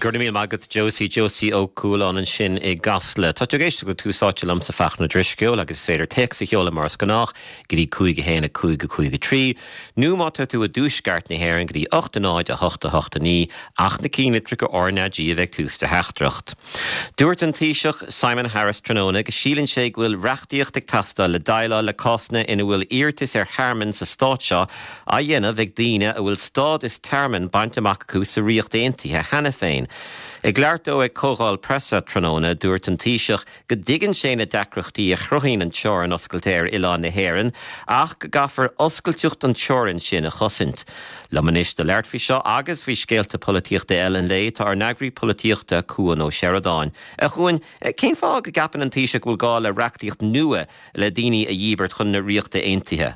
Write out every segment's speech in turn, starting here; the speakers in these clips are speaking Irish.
Go raibh míle maith agat Josie, Josie Ó Cualáin ansin i gCasla. Tá tú ag éisteacht le Tús Áite liomsa Fachtna Ó Drisceoil agus is féidir téacs a sheoladh mar is gnách go dtí 5 1 5 5 3 nó má tá tú i dtuaisceart na hÉireann go dtí 8 0 8 8 9 ach na cinnlitreacha RnaG a bheith ag tús do theachtaireacht. Dúirt an Taoiseach Simon Harris tráthnóna go síleann sé go bhfuil reachtaíocht ag teastáil le déileáil le cásanna ina bhfuil iarratais ar thearmann sa stát seo á dhéanamh ag daoine a bhfuil stádas tearmainn bainte amach acu sa Ríocht Aontaithe cheana féin. Ag labhairt dó ag comhdháil preasa tráthnóna, dúirt an Taoiseach go dtuigeann sé na deacrachtaí a chruthaíonn an teorainn oscailte ar oileán na hÉireann ach go gcaithfear oscailteacht an teorann sin a chosaint. Liom anois le labhairt faoi seo agus faoi scéalta polaitíochta eile an lae tá ár n-eagraí polaitíochta, Cuan Ó Seireadáin. A Chuain, cén fáth go gceapann an Taoiseach go bhfuil gá le reachtaíocht nua le daoine a dhíbirt chun na Ríochta Aontaithe?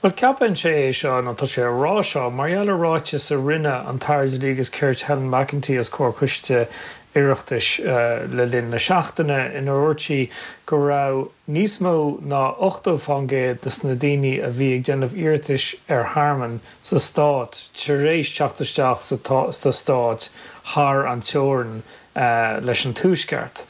Bhuel, ceapann sé é seo, nó tá sé á rá seo, mar gheall ar ráiteas a rinne an tAire Dlí agus Cirt Helen McEntee os comhair coiste Oireachtais le linn na seachtaine, inar dhúirt sí go raibh níos mó ná 80% de na daoine a bhí ag déanamh iarratais ar thearmann sa stát tar éis teacht isteach sa stát thar an teorainn leis an Tuaisceart.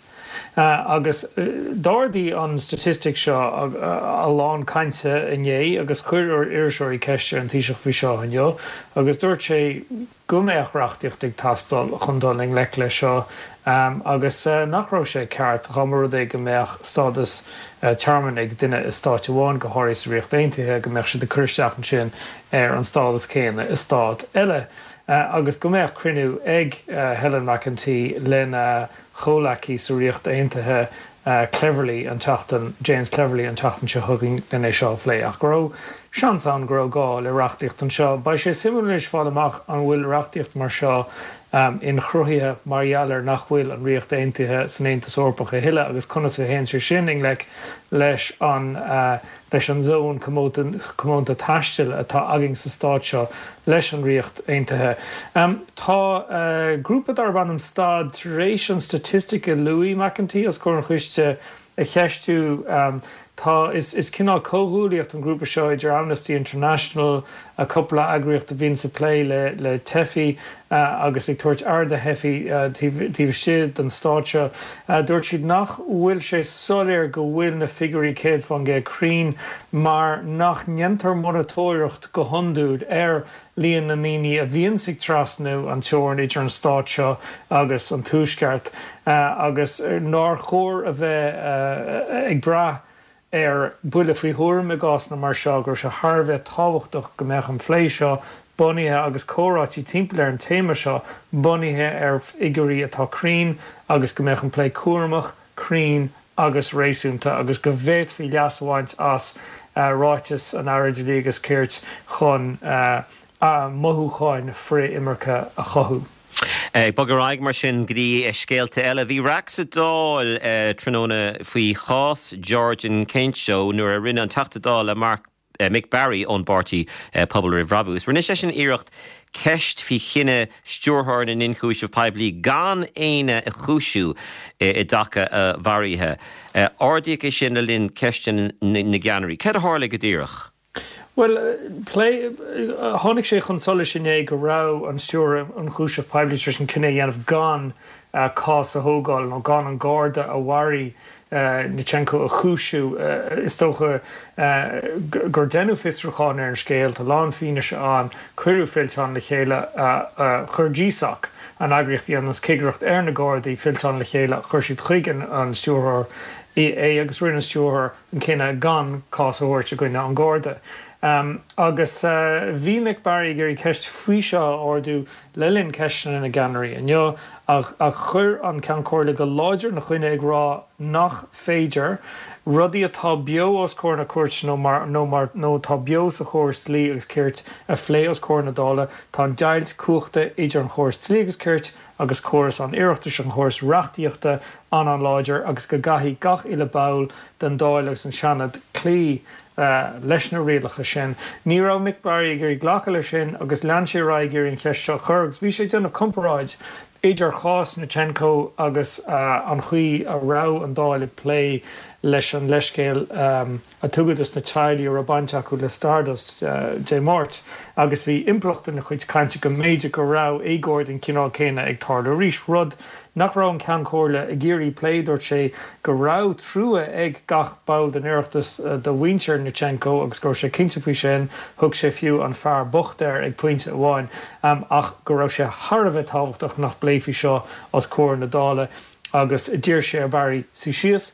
Agus d'ardaigh an staitistic seo a lán cainte inné agus chuir iriseoirí ceist ar an Taoiseach faoi seo inniu agus dúirt sé go mbeadh reachtaíocht ag teastáil chun dul i ngleic leis seo agus nach raibh sé ceart dá mba rud é go mbeadh stádas tearmainn ag duine i stáit amháin, go háirithe sa Ríocht Aontaithe, go mbeadh siad ag cur isteach ansin ar an stádas céanna i stát eile agus go mbeadh cruinniú ag Helen McEntee lena chomhleacaí sa Ríocht Aontaithe Cleverly an tseachtain James Cleverly an tseachtain seo chugainn len é seo a phlé ach go raibh seans ann go raibh gá le reachtaíocht anseo. Beidh sé suimiúil anois fáil amach an bhfuil reachtaíocht mar seo inchruthaithe mar gheall ar nach bhfuil an Ríocht Aontaithe san Aontas Eorpach a thuilleadh agus conas a théann sé sin i ngleic leis an leis an zón comónta taistil atá againn sa stát seo leis an Ríocht Aontaithe. Tá grúpa darb ainm Stad tar éis an staitistic a luaigh McEntee os comhair an choiste a cheistiú. Tá, is cineál comhghuaillíocht an grúpa seo idir Amnesty International, cúpla eagraíocht a bhíonns ag plé le teifigh agus ag tabhairt aire do theifigh taobh istigh den stát seo. Dúirt siad nach bhfuil sé soiléir go bhfuil na figiúirí 100% cruinn mar nach ndéantar monatóireacht go hiondúil ar líon na ndaoine a bhíonns ag trasnú an teorainn idir an stát seo agus an Tuaisceart agus nár chóir a bheith ag brath ar buille faoi thuairim i gcásanna mar seo go raibh sé thar a bheith tábhachtach go mbeadh an phlé seo bunaithe agus comhráití timpeall ar an téama seo bunaithe ar fhigiúirí atá cruinn agus go mbeadh an plé cúramach, cruinn agus réasúnta agus go bhféadfaí leas a bhaint as ráiteas an Aire Dlí agus Cirt chun mothúcháin frith-imirce a chothú. Ag bogadh ar aghaidh mar sin go dtí scéalta eile. Bhí raic sa Dáil tráthnóna faoi chás George Nkencho nuair a rinne an Teachta Dála Mark Mick Barry ón bpáirtí Pobal Roimh Bhrabús. Rinne seisean iarracht ceist faoi chinneadh Stiúrthóir na nIonchúiseamh Poiblí gan éinne a chúisiú i dtaca a mharaithe. Ardaíodh é sin le linn ceisteanna na gceannairí. Céard a tharla go díreach? Bhuel, plé, tháinig sé chun solais inné go raibh an Stiúrthóir Ionchúiseamh Poiblí tar éis an cinneadh a dhéanamh gan cás a thógáil nó gan an Garda a mharaigh Nkencho a chúisiú. Is dócha gur deineadh fiosrúchán ar an scéal, tá a lán fianaise ann, cuireadh fillteán le chéile, chuir GSOC, an eagraíocht a dhéananns cigireacht ar na Gardaí, fillteán le chéile, chuir siad chuig an Stiúrthóir é agus rinne an Stiúrthóir an cinneadh gan cás a thabhairt i gcoinne an Gharda. Agus bhí Mick Barry ag iarraidh ceist faoi seo a ardú le linn ceisteanna na gceannairí inniu ach chuir an Ceann Comhairle go láidir ina choinne ag rá nach féidir rudaí atá beo os comhair na cúirte nó mar nó mar nó atá beo sa chóras dlí agus cirt a phlé os comhair na Dála. Tá an deighilt cumhachta idir an chóras dlí agus cirt agus córas an Oireachtais, an chóras reachtaíochta, an-an-láidir agus go gcaithfidh gach uile ball den Dáil agus an Seanad cloí leis na rialacha sin. Ní raibh Mick Barry ag iarraidh glacadh leis sin agus lean sé ar aghaidh ag iarraidh an cheist seo a chur agus bhí sé ag déanamh comparáid idir chás Nkencho agus an chaoi a raibh an Dáil ag plé. leis an leithscéal a tugadh dos na teaghlaigh a raibh baint acu le Stardust Dé Máirt agus bhí impleacht ina chuid cainte go mb'fhéidir go raibh éagóir den chineál céanna ag tarlú arís, rud nach raibh an Ceann Comhairle ag iarraidh plé. Dúirt sé go raibh trua ag gach ball den Oireachtas do mhuintir Nitsenko agus go raibh sé cinnte faoi sin, thug sé fiú an fear bocht air ag pointe amháin, ach go raibh sé thar a bheith tábhachtach nach bpléifí seo os comhair na Dála agus d'iarr sé ar Barry suí síos.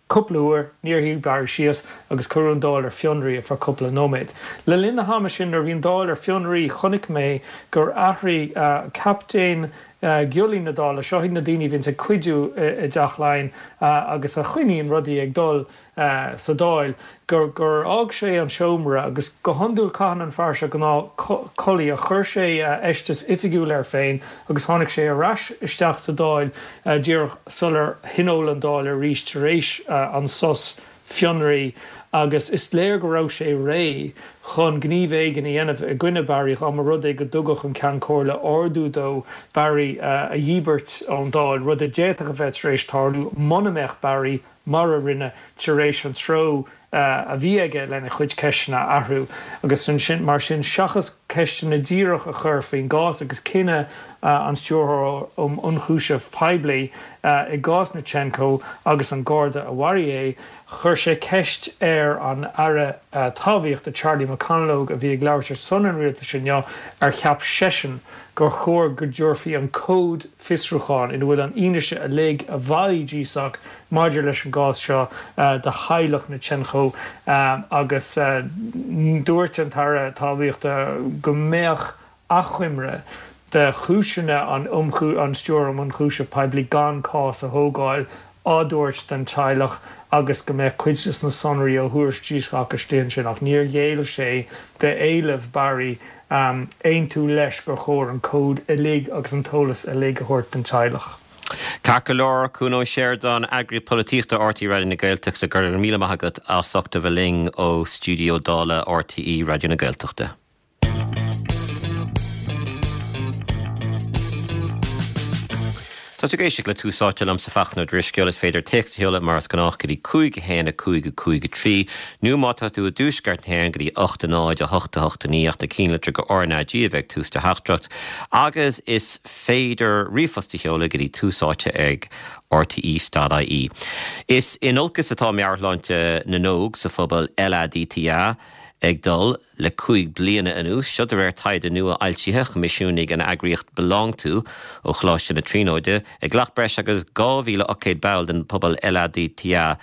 Cúpla uair, níor shuigh Barry síos agus cuireadh an Dáil ar fionraí ar feadh cúpla nóiméad. Le linn na hama sin, nuair a bhí an Dáil ar fionraí, chonaic mé gur athraigh captaen giollaí na Dála, seo iad na daoine a bhíonns ag cuidiú i dTeach Laighean agus a choinníonn rudaí ag dul sa Dáil, gur gur fhág sé an seomra agus go hiondúil caitheann an fear seo gnáth culaith ach chuir sé a fheisteas oifigiúil air féin agus tháinig sé ar ais isteach sa Dáil díreach sular thionóil an Dáil arís tar éis an sos fionraí agus is léir go raibh sé réidh chun gníomh éigin a dhéanamh i gcoinne Barry dá mba rud é go dtugadh an Ceann Comhairle ordú dó Barry a dhíbirt ón Dáil, rud a d'fhéadfadh a bheith tar éis tarlú muna mbeadh Barry mar a rinne, tar éis an treo a bhí aige lena chuid ceisteanna a athrú. Agus ansin, mar sin, seachas ceisteanna díreach a chur faoin gcás agus cinneadh an Stiúrthóra um Ionchúiseamh Poiblí i gcás Nitsenko agus an Garda a mharaigh é, chuir sé ceist ar an Aire Talmhaíochta Charlie McConalogue, a bhí ag labhairt ar son an rialtais inniu, ar cheap seisean gur chóir go dtabharfaí an comhad fiosrúcháin ina bhfuil an fhianaise uilig a bhailigh GSOC maidir leis an gcás seo do theaghlach Nitsenko agus dúirt an tAire Talmhaíochta go mbeadh achoimre de chúiseanna an Stiúrthóra um Ionchúiseamh Poiblí gan cás a thógáil á dtabhairt don teaghlach agus go mbeadh cuid de na sonraí ó thuairisc GSOC istigh ansin ach níor ghéill sé d'éileamh Barry aontú leis gur chóir an comhad uilig agus an t-eolas uilig a thabhairt don teaghlach. Ceart go leor, Cuan Ó Seireadáin, Eagraí Polaitíochta RTÉ Raidió na Gaeltachta, go raibh míle maith agat as ucht a bheith linn ó stiúideo Dála RTÉ Raidió na Gaeltachta. Tá tú ag éisteacht le Tús Áite liomsa Fachtna Ó Drisceoil. Is féidir téacs a sheoladh mar is gnách go dtí 5 1 5 5 3 nó má tá tú i dtuaisceart na hÉireann go dtí 8 0 8 8 9 ach na cinnlitreacha RnaG a bheith ag tús do theachtaireacht agus is féidir ríomhphost a sheoladh go dtí tús áite ag rte.ie. Is in olcas atá meabhairshláinte na n-óg sa phobal LADTA ag dul. le 5 bliana anuas, seo de réir taighde nua fhoilsithe a choimisiúnaigh an eagraíocht BelongTo ó Choláiste na Tríonóide. Ghlac breis agus 2,800 ball den phobal LADTA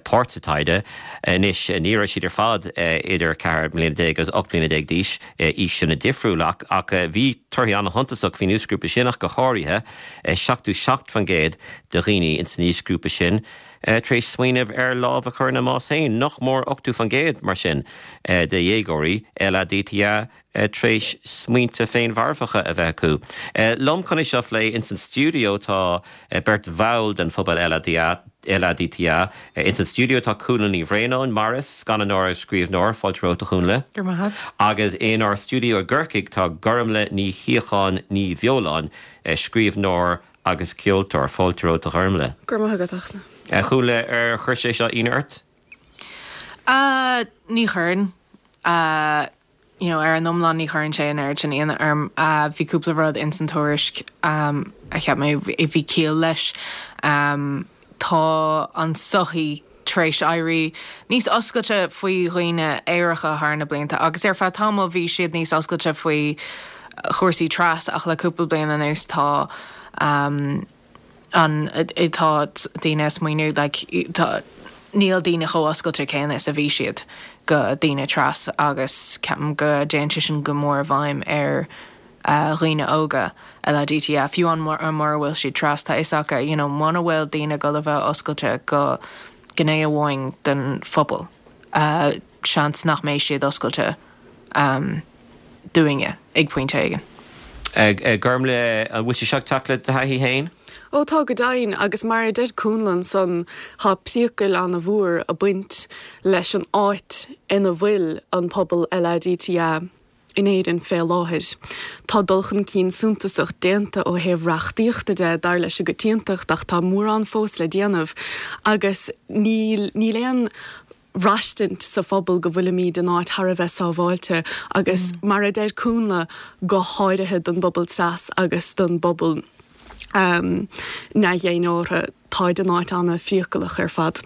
páirt sa taighde. Anois, ní raibh siad ar fad idir 14 mbliana agus 18 bliana d'aois, aoiseanna difriúla, ach bhí torthaí an-shuntasach faoin aoisghrúpa sin ach go háirithe, 77% de dhaoine ins an aoisghrúpa sin tar éis smaoineamh ar lámh a chur ina mbás féin. Nach mór 80% mar sin de dhéagóirí LADTA tar éis smaointe féinmharfacha a bheith acu. Liom chun é seo a phlé ins an stiúideo tá beirt bhall den phobal LADTA. Ins an stiúideo tá Cúnla Ní Bhraonáin, Morris, scannánóir agus scríbhneoir, fáilte romhat a Chúnla. Go raibh maith agat. Agus inár stiúideo i gCorcaigh tá Gormlaith Ní Shíocháin Ní Bheoláin, scríbhneoir agus ceoltóir. Fáilte romhat a Ghormlaith. Go raibh maith agat, a Fhachtna. A Chúnla, ar chuir sé seo ionadh ort? Ní chuireann. You know, ar an iomlán ní chuireann sé an oiread sin ionadh orm. Bhí cúpla rud ins an tuairisc a cheap mé bhí ciall leis. Tá an tsochaí tar éis éirí níos oscailte faoi dhaoine aeracha thar na blianta agus ar feadh tamaill bhí siad níos oscailte faoi chúrsaí tras ach le cúpla bliain anuas tá an tá daoine ag smaoineamh like tá níl daoine chomh oscailte céanna is a bhí siad go daoine tras agus ceapaim go dtéann sé sin go mór i bhfeidhm ar dhaoine óga LADTA, fiú amháin mura bhfuil siad tras, tá fhios acu, you know, muna bhfuil daoine ag dul a bheith oscailte go gné amháin den phobal, seans nach mbeidh siad oscailte dúinne ag pointe éigin. Gormlaith, an bhfuil sé seo ag teacht le do thaithí féin? Ó tá go deimhin, agus mar a deir Cúnla ansan, tá priacail ana-mhór ag baint leis an áit ina bhfuil an pobal LADTA. In Éirinn fé láthair. Tá dul chun cinn suntasach déanta ó thaobh reachtaíochta de, dar leis an gcoitiantacht, ach tá mórán fós le déanamh agus níl níl aon bhraistint sa phobal go bhfuilimíd in áit thar a bheith sábháilte agus mar a deir Cúnla, go háirithe don bpobal tras agus don bpobal neamh-dhénártha. Táid in áit ana-phriacalach ar fad.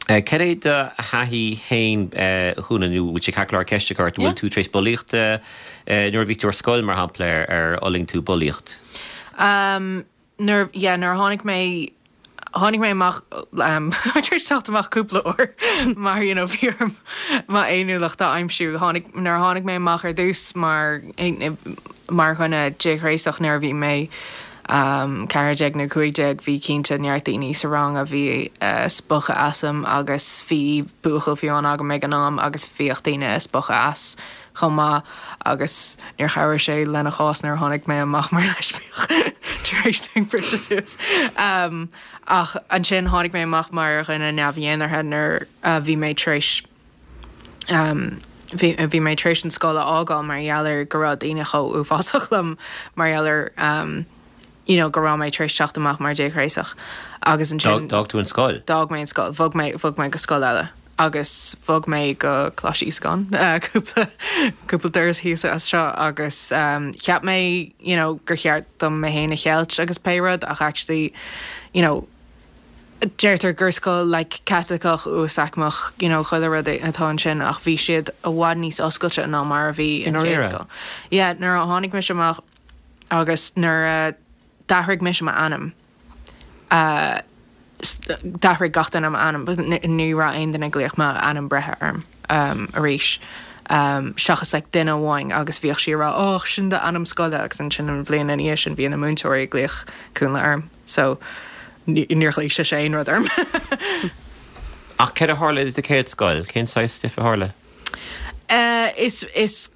Cad é do thaithí féin, a Chúnla, nó bhfuil sé ceart go leor ceist a chur ort, an bhfuil tú tar éis bulaíochta, nuair a bhí tú ar scoil, mar shampla, ar fhulaing tú bulaíocht? Nuair, yeah, nuair a tháinig mé, tháinig mé amach, tar éis teacht amach cúpla uair mar, you know, bhí orm m'fhéiniúlacht a aimsiú. Tháinig, nuair a tháinig mé amach ar dtús mar, mar dhuine déghnéasach nuair a bhí mé, 14 nó 15, bhí cinnte neart daoine sa rang a bhí ag spochadh asam agus bhí buachaill fiú amháin agam ag an am agus bhíodh daoine ag spochadh as chomh maith agus níor chabhraigh sé lena chás nuair a tháinig mé amach mar leispiach tar éis dúinn briseadh suas. Ach ansin tháinig mé amach mar dhuine neamh-dhénártha nuair a bhí mé tar éis Bhí bhí mé tar éis an scoil a fhágáil mar gheall ar go raibh daoine chomh uafásach liom mar gheall ar you know go raibh mé tar éis teacht amach mar déghnéasach agus ansin D'fhág tú an scoil? D'fhág mé an scoil. Bhog mé bhog mé go scoil eile agus bhog mé go Coláiste Íosagáin cúpla cúpla doras thíos as seo agus cheap mé you know gur cheart dom mé féin a cheilt agus pé rud ach actually you know Deirtear gur scoil like Caitliceach uasaicmeach you know chuile rud atá ansin ach bhí siad i bhfad níos oscailte ná mar a bhí an chéad scoil. Yeah nuair a tháinig mise amach agus nuair a d'athraigh mise m'ainm uh d'athraigh gach duine m'ainm but ní raibh aon duine ag glaoch m'ainm breithe orm um arís um seachas like duine amháin agus bhíodh sí ag rá oh sin d'ainm scoile agus ansin an bhliain ina dhiaidh sin bhí na múinteoirí ag glaoch Cúnla orm. So, níor ghlaoigh sise aon rud orm. Ach céard a tharla i do chéad scoil? Cén saghas stuif a tharla? Is, is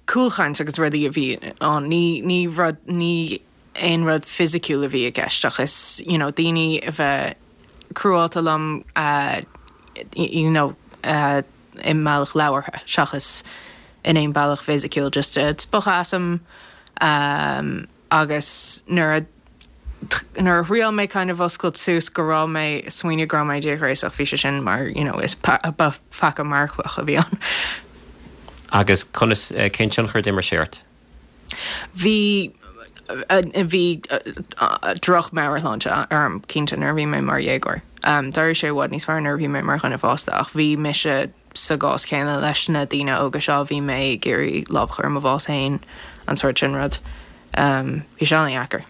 cúlchaint agus rudaí a bhí ann. Ní, ní rud, ní aon rud fisiciúil a bhí i gceist ach is, you know, daoine a bheith cruálta liom, you know, i mbealach labhartha seachas in aon bealach fisiciúil, just spochadh asam. Agus nuair a nuair a thriail mé kind of oscailt suas go raibh mé ag smaoineamh go raibh mé déghnéasach bhí sé sin mar you know is ba pheaca marfach a bhí ann. Agus conas, cén tionchar a d'imir sé ort? Bhí bhí droch meabhairshláinte orm cinnte nuair a bhí mé mar dhéagóir. D'éirigh sé i bhfad níos fearr nuair a bhí mé mar dhuine fásta ach bhí mise sa gcás céanna leis na daoine óga seo, bhí mé ag iarraidh lámh a chur i mo bhás féin, an sórt sin rud. Bhí sé an-dheacair.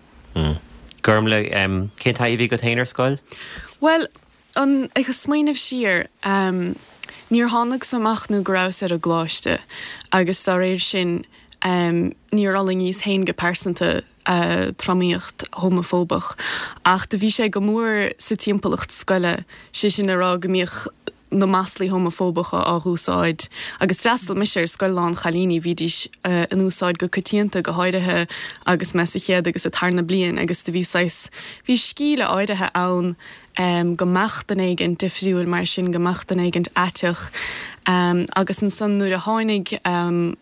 Gormlaith, cén taithí a bhí agat féin ar scoil? Bhuel, an, ag smaoineamh siar, níor thánagsa amach nó go rabhas ar an gcoláiste agus dá réir sin níor fhulaingíos féin go pearsanta tromaíocht homafóbach ach do bhí sé go mór sa timpeallacht scoile, sé sin a rá go mbíodh na maslaí homafóbacha á dh'úsáid agus d'fhreastail mise ar scoil lán chailíní, bhídís in úsáid go coitianta, go háirithe agus mé sa chéad agus sa tarna bliain agus do bhí saghas, bhí scíle áirithe ann go mbeadh duine éigint difriúil mar sin, go mbeadh duine éigint aiteach agus ansan nuair a tháinig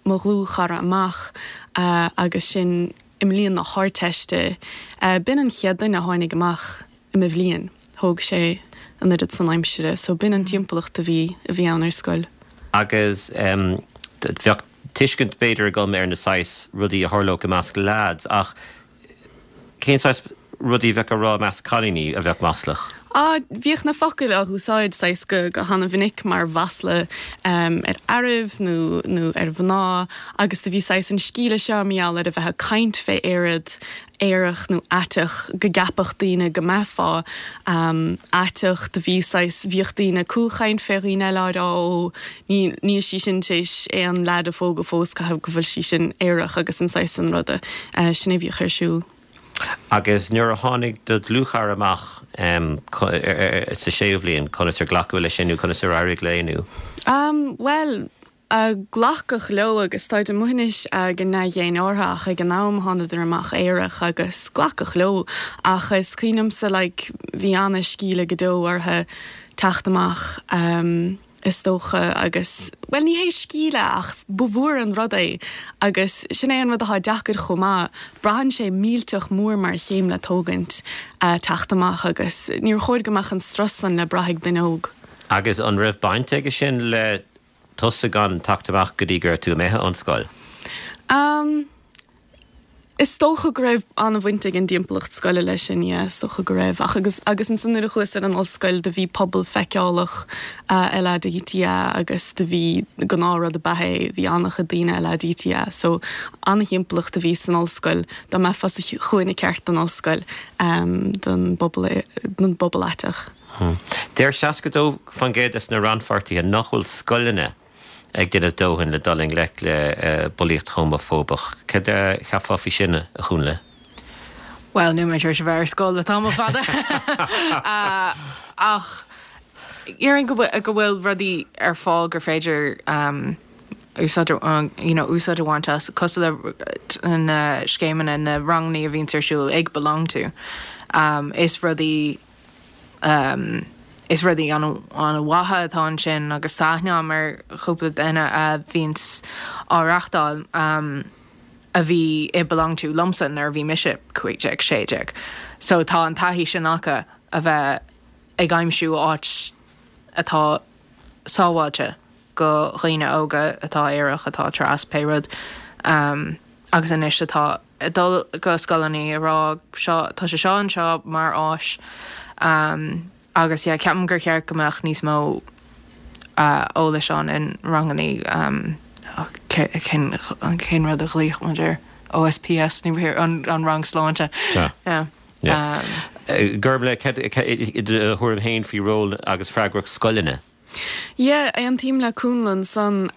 mo dhlúthchara amach agus sin i mbliain na hArdteiste, b'in an chéad duine a tháinig amach. i mo bhliain. Thóg sé an oiread san aimsire so b'in an timpeallacht a bhí, a bhí ann ar scoil. Agus bheadh tuiscint b'fhéidir agam ar na saghas rudaí a tharlódh i measc leaids ach cén saghas rudaí a bheadh á rá i measc cailíní a bheadh maslach? Ah, bhíodh na focail á dh'úsáid saghas go, go hana-mhinic mar mhasla ar fhearaibh nó, nó ar mhná agus do bhí saghas an scíle seo mar gheall ar a bheith ag caint fé aerad aerach nó aiteach, go gceapfadh daoine go mbeifeá aiteach. Do bhí saghas, bhíodh daoine ag cúlchaint fé dhaoine eile á rá ó níl, níl sí sin tar éis aon leaid a phógadh fós, caithfidh go bhfuil sí sin aerach agus an saghas san ruda. Sin é a bhíodh ar siúl. Agus nuair a tháinig do dhlúthchara amach sa séú bhliain, conas ar glacadh leis sin nó conas ar éirigh léi nó? Bhuel, Glacadh leo agus táid amuigh anois go neamh-dhénártha ach ag an am thánadar amach aerach agus glacadh leo ach is cuimhin liomsa like bhí ana-scíle go deo orthu teacht amach. Is dócha, agus, bhuel, ní hé scaoileadh ach ba mhór an rud é agus sin é an rud atá deacair chomh maith, braitheann sé millteach mór mar chéim le tógaint, teacht amach agus níor chóir go mbeadh an strus san le brath ag duine óg. Agus an raibh baint aige sin le tusa gan teacht amach go dtí go raibh tú imithe ón scoil? Umm. Is dócha go raibh an-bhaint ag an dtimpeallacht scoile leis sin, yeah, is dócha go raibh. Ach agus, agus ansan nuair a chuas ar an ollscoil do bhí pobal feiceálach LADTA agus do bhí, gnáthrud ab ea é, bhí an-chuid daoine LADTA so an-thimpeallacht a bhí san ollscoil, dá mbeifeá sa chúinne ceart den ollscoil don bpobal, don bpobal aiteach. Deir 62% des na rannpháirtithe nach bhfuil scoileanna ag déanamh dóthain le dul i ngleic le bulaíocht homafóbach. Cad a cheapfá faoi sin, a Chúnla? Bhuel, níl mé tar éis a bheith ar scoil le tamall fada ach déarfainn go bhfuil rudaí ar fáil gur féidir úsáid you know úsáid a bhaint as, cosúil le na scéimeanna, na rangannaí a bhíonns ar siúl ag BeLonG To. Is rudaí. Is rudaí an-mhaithe atá ansin agus tá aithne agam ar chúpla duine a bhíonns á reachtáil a bhí i BeLonG To liomsa nuair a bhí mise 15, 16. So tá an taithí sin acu a bheith ag aimsiú áit atá sábháilte go dhaoine óga atá aerach, atá tras, pé rud agus anois atá ag dul go scoileanna ag rá seo, tá sé seo anseo mar áis agus yeah ceapaim gur cheart go mbeadh níos mó eolais ann in rangannaí cén cén rud a ghlaoigh muid air? OSPS ní an an rang sláinte. Yeah. Yeah. Gormlaith, cad do thuairim féin faoi ról agus freagracht scoileanna? Yeah, aontaím le Cúnla ansan.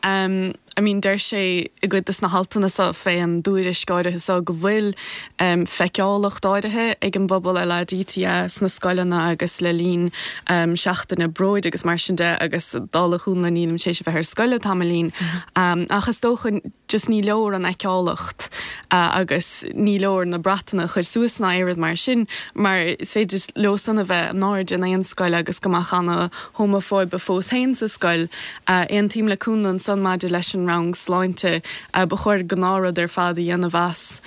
I mean, deir sé i gcuid de na haltanna so fén dtuairisc áirithe so go bhfuil feiceálacht áirithe ag an bpobal LADTA sna scoileanna agus le linn seachtaine bróid agus mar sin de agus dála Chúnla nílim tar éis a bheith ar scoil le tamaillín ach is dócha just ní leor an fheiceálacht agus ní leor na bratanna a chur suas ná aon rud mar sin mar is féidir leo san a bheith in airde in aon scoil agus go mbeadh ana homafóibe fós féin sa scoil. Aontaím le Cúnla ansan maidir leis an rang sláinte. Ba chóir gnáthrud ar fad a dhéanamh as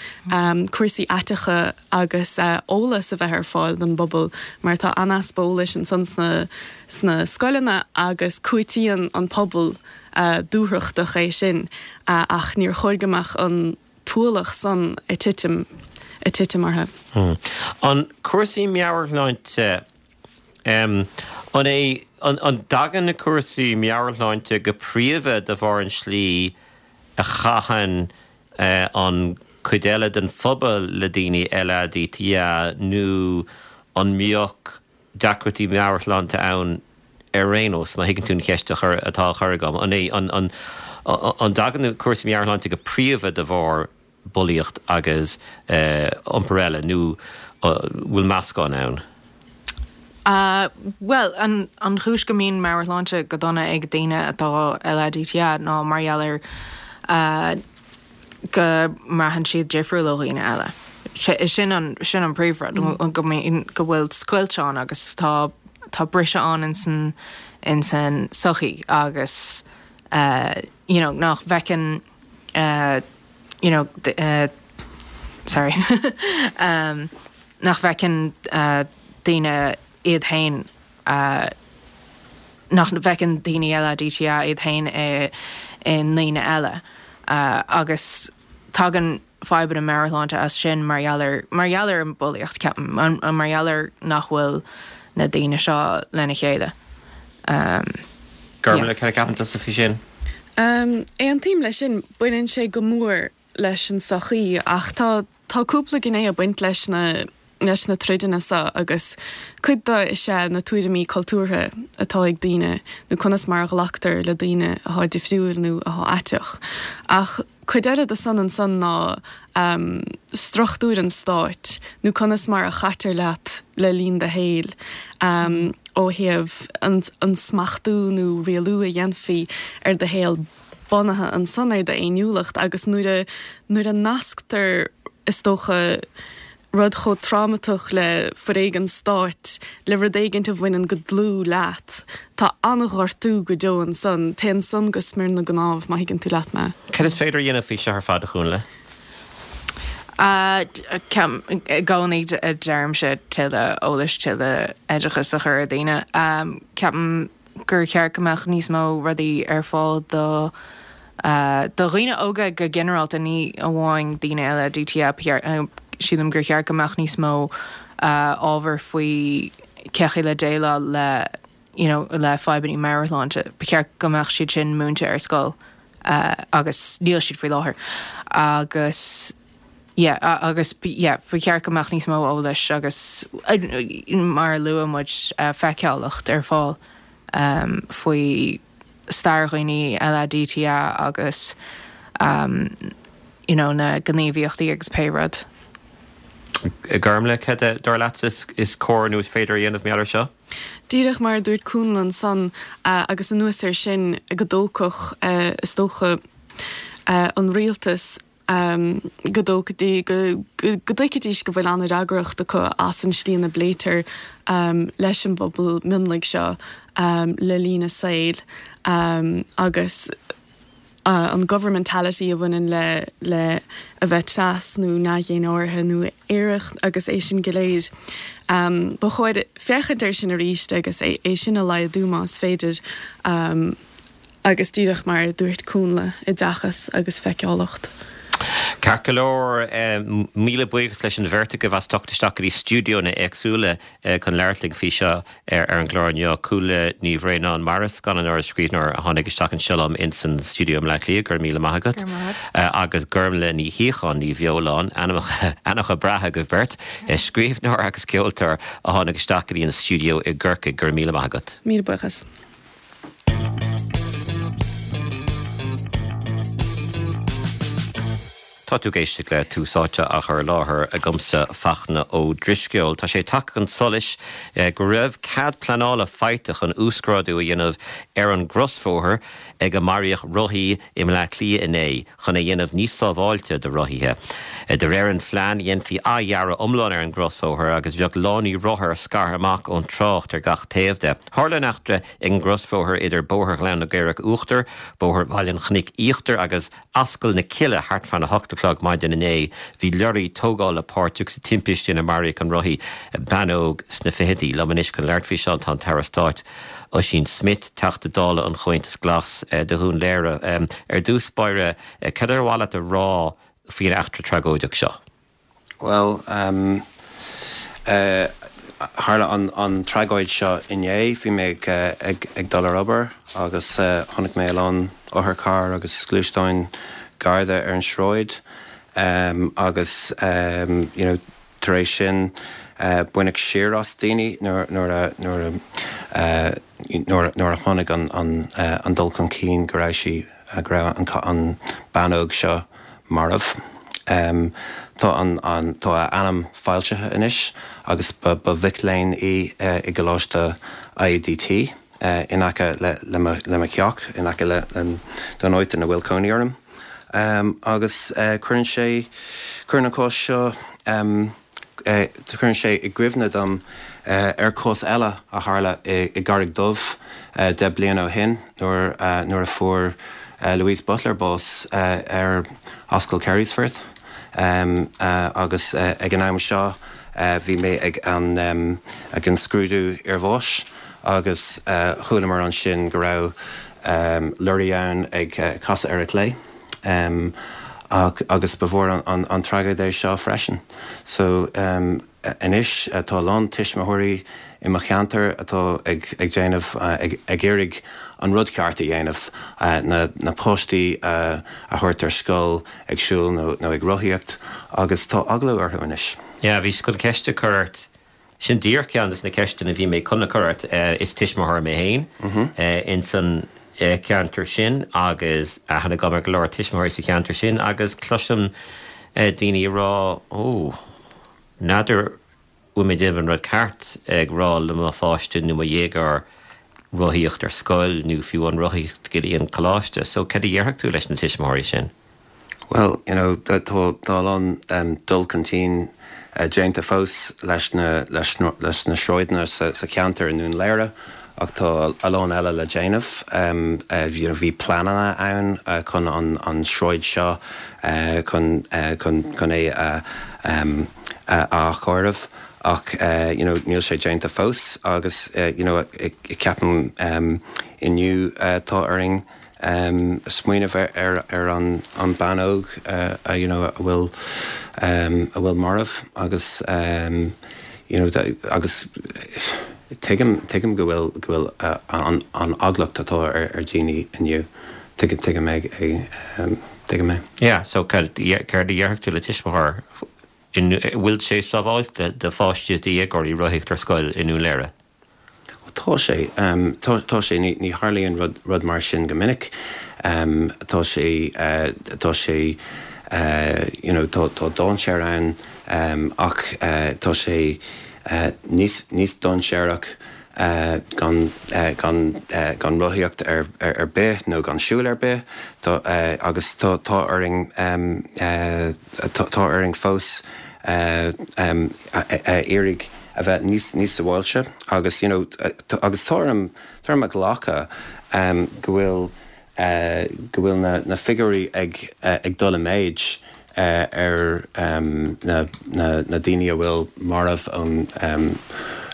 cúrsaí aiteacha agus eolas a bheith ar fáil don bpobal mar tá an-easpa eolais ansan sna sna scoileanna agus cúitíonn an pobal dúthrachtach é sin ach níor chóir go mbeadh an t-ualach san ag titim ag titim orthu. An cúrsaí meabhairshláinte An é, an dtagann na cúrsaí meabhairshláinte go príomha de bharr an slí a chaitheann an cuid eile den phobal le daoine LADTA nó an mbeadh deacrachtaí meabhairshláinte ann ar aon nós, má thuigeann tú an cheist atá á chur agam? An é, an dtagann na cúrsaí meabhairshláinte go príomha de bharr bulaíocht agus iompar eile nó bhfuil meascán ann? Bhuel, an chúis go mbíonn meabhairshláinte go dona ag daoine atá LADTA ná mar gheall ar go mbraitheann siad difriúil ó dhaoine eile. Sin an, sin an príomhrud, go mbíonn, go bhfuil scoilt ann agus tá, tá briseadh ann insan, insan sochaí agus you know, nach bhfeiceann you know, sorry, nach bhfeiceann daoine iad féin, nach bhfeiceann daoine LADTA iad féin i ndaoine eile agus tagann fadhbanna meabhairshláinte as sin mar gheall ar, mar gheall ar an bhulaíocht, ceapaim, mar gheall ar nach bhfuil na daoine seo lena chéile. Gormlaith, cad a cheapann tusa faoi sin? Aontaím leis sin, baineann sé go mór leis an sochaí ach tá tá cúpla gné ag baint leis na leis na troideanna seo agus cuid de is ea na tuairimí cultúrtha atá ag daoine nó conas mar a ghlactar le daoine atá difriúil nó atá aiteach. Ach cuid eile de san ansan ná struchtúir an stáit nó conas mar a chaitear leat le linn do shaoil ó thaobh an smachtú nó rialú a dhéanfaí ar do shaol bunaithe ansan ar d'fhéiniúlacht agus nuair a nuair a nasctar is dócha. rud chomh trámatach le foréigean stáit, le rud éigint a bhaineann go dlúth leat, tá an-ghortú go deo ansan, téann san go smior na gcnámh, má thuigeann tú leat mé. Cad is féidir a dhéanamh faoi seo ar fad, a Chúnla? Ceapaim i gcónaí deirimse tuilleadh eolais, tuilleadh oideachais a chur ar dhaoine. Ceapaim gur cheart go mbeadh níos mó rudaí ar fáil do do dhaoine óga go ginearálta, ní amháin daoine LADTA. Sílim gur cheart go mbeadh níos mó ábhar faoi cén chaoi le déileáil le you know le fadhbanna meabhairshláinte. Ba cheart go mbeadh siad sin múinte ar scoil agus níl siad faoi láthair. Agus yeah agus yeah ba cheart go mbeadh níos mó eolais agus mar a luaigh muid feiceálacht ar fáil faoi stair dhaoine LADTA agus you know na gníomhaíochtaí agus pé rud. Gormlaith, cad dar leatsa is cóir nó is féidir a dhéanamh mar gheall air seo? Díreach mar a dúirt Cúnla ansan, agus anuas air sin, go dtógfadh, is dócha, an rialtas, go dtógfaidís, go dtuigfidís go bhfuil an-fhreagracht acu as an slí ina bpléitear leis an bpobal mionlaigh seo le linn a saoil agus an governmentality a bhaineann le le a bheith tras nó neamh-dhénáirithe nó aerach agus é sin go léir. Ba chóir féachaint air sin arís agus é sin a laghdú más féidir. Agus díreach mar a dúirt Cúnla, oideachas agus feiceálacht. Ceart go leor, míle buíochas leis an bheirt agaibh as teacht isteach go dtí stiúideo na hÉagsúla chun labhairt linn faoi seo ar an gclár inniu. Cúnla Ní Bhraonáin, Mairis, scannánóir is scríbhneoir a tháinig isteach anseo liom ins an stiúideo i mBleá Cliath, go raibh míle maith agat. Agus Gormlaith Ní Shíocháin, Ní Bheoláin, ainmneacha breátha agaibh beirt, scríbhneoir agus ceoltóir a tháinig isteach go dtí an stiúideo i gCorcaigh, go raibh míle maith agat. Míle buíochas. Tá tú ag éisteacht le Tús Áite á chur i láthair agamsa, Fachtna Ó Drisceoil. Tá sé tagtha chun solais go raibh cead pleanála faighte chun uasghrádú a dhéanamh ar an gcrosbhóthar ag a maraíodh rothaí i mBleá Cliath inné chun é a dhéanamh níos sábháilte do rothaithe. De réir an phlean, dhéanfaí athdhearadh iomlán ar an gcrosbhóthar agus bheadh lánaí rothar scartha amach ón trácht ar gach taobh de. Tharla an eachtra ag an gcrosbhóthar idir Bóthar Ghleann na gCaorach Uachtar, Bóthar Bhaile an Chnoic Íochtair agus Ascaill na Cille thart fán 8 a chlog maidin inné. Bhí leoraí tógála páirteach sa timpiste ina maraíodh an rothaí, bean óg sna fichidí. Liom anois chun labhairt faoi seo tá an tAire Stáit Ossian Smyth, Teachta Dála an Chomhaontais Ghlais do Dhún Laoghaire. Ar dtús báire, cad ar mhaith leat a rá faoin eachtra tragóideach seo? Bhuel, tharla an tragóid seo inné. Bhí mé ag dul ar obair agus chonaic mé a lán otharcharr agus gluaisteáin Garda ar an sráid agus you know tar éis sin baineadh siar as daoine nuair a nuair a nuair a tháinig an dul chun cinn go raibh sí go raibh an bean óg seo marbh. Tá an tá a ainm foilsithe anois agus ba ba mhic léinn í i gColáiste IADT in aice le le mo le mo theach, in aice le don áit ina bhfuil cónaí orm. Agus cuireann sé cuireann an cás seo Cuireann sé i gcuimhne dom ar chás eile a tharla i gCarraig Dhubh 10 bliana ó shin nuair nuair a fuair Louise Butler bás ar Ascaill Carysfort agus ag an am seo bhí mé ag an ag an scrúdú iarbháis agus chualamar ansin go raibh lorry ann ag casadh ar a clé. Agus ba mhór an tragóid é seo freisin. So anois tá a lán tuismitheoirí i mo cheantar atá ag déanamh, ag iarraidh an rud ceart a dhéanamh, na páistí a thabhairt ar scoil ag siúl nó ag rothaíocht agus tá eagla orthu anois. Yeah, bhíos chun ceist a chur ort Sin díreach ceann des na ceisteanna a bhí mé chun a chur ort. Is tuismitheoir mé féin ins an cheantar sin agus aithne agam ar go leor tuismitheoirí sa cheantar sin agus cloisim daoine ag rá Ó, n'fheadar bhfuil mé ag déanamh an rud ceart ag rá le mo pháiste nó mo dhéagóir rothaíocht ar scoil nó fiú an rothaíocht go dtí an coláiste. So cad a dhéarfadh tú leis na tuismitheoirí sin? Bhuel, you know, tá tá a lán dul chun cinn. déanta fós leis na leis leis na sráideanna sa sa cheantar i nDún Laoghaire ach tá a lán eile le déanamh. You know bhí pleananna ann chun an an sráid seo chun chun chun é a a athchóiriú ach you know níl sé déanta fós agus you know ceapaim inniu tá orainn smaoineamh ar ar an an bean óg you know a bhfuil a bhfuil marbh agus you know agus tuigim tuigim go bhfuil go bhfuil an an eaglacht atá ar ar daoine inniu tuigim tuigim é tuigim é. Yeah so céard a déarfadh tú le tuismitheoir an bhfuil sé sábháilte do pháistí is do dhéagóirí rothaíocht ar scoil i nDún Laoghaire? Tá sé. Tá sé. Ní tharlaíonn rud mar sin go minic. Tá sé, tá sé, you know, tá dainséar ann ach tá sé níos, níos dainséarach gan, gan, gan rothaíocht ar, ar bith nó gan siúl ar bith. Tá, agus tá, tá orainn, tá orainn fós a iarraidh a bheith níos níos sábháilte agus you know agus tá orm tá orm a ghlacadh go bhfuil go bhfuil na na figiúirí ag ag dul i méid ar na na na daoine a bhfuil marbh ón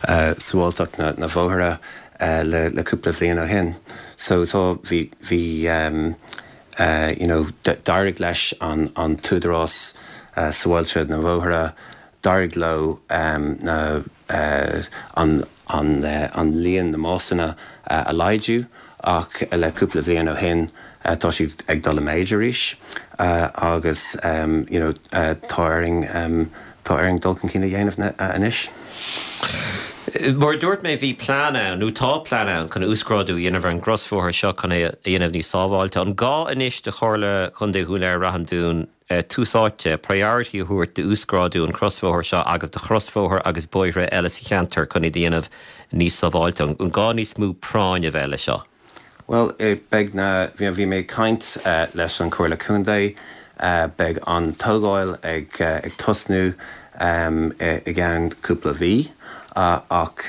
sábháilteacht na na bhóithre le le cúpla bhliain ó shin. So tá bhí bhí you know d'éirigh leis an an tÚdarás Sábháilte na Bhóithre D'éirigh leo na an an líon na mbásanna a laghdú ach le cúpla bhliain ó shin tá siad ag dul i méid arís agus you know tá orainn tá orainn dul chun cinn a dhéanamh anois. Mar a dúirt mé bhí plean ann, nó tá plean ann, chun uasghrádú a dhéanamh ar an gcrosbhóthar seo chun é a dhéanamh níos sábháilte. An gá anois do Chomhairle Chontae Dhún Laoghaire-Rath an Dúin tús áite, priority, a thabhairt d'uasghrádú an chrosbhóthair seo agus do chrosbhóithre agus bóithre eile sa cheantar chun iad a dhéanamh níos sábháilte. An gá níos mó práinn a bheith leis seo? Bhuel, beidh na, bhí mé ag caint leis an Chomhairle Contae, beidh an tógáil ag tosnú i gceann cúpla mhí ach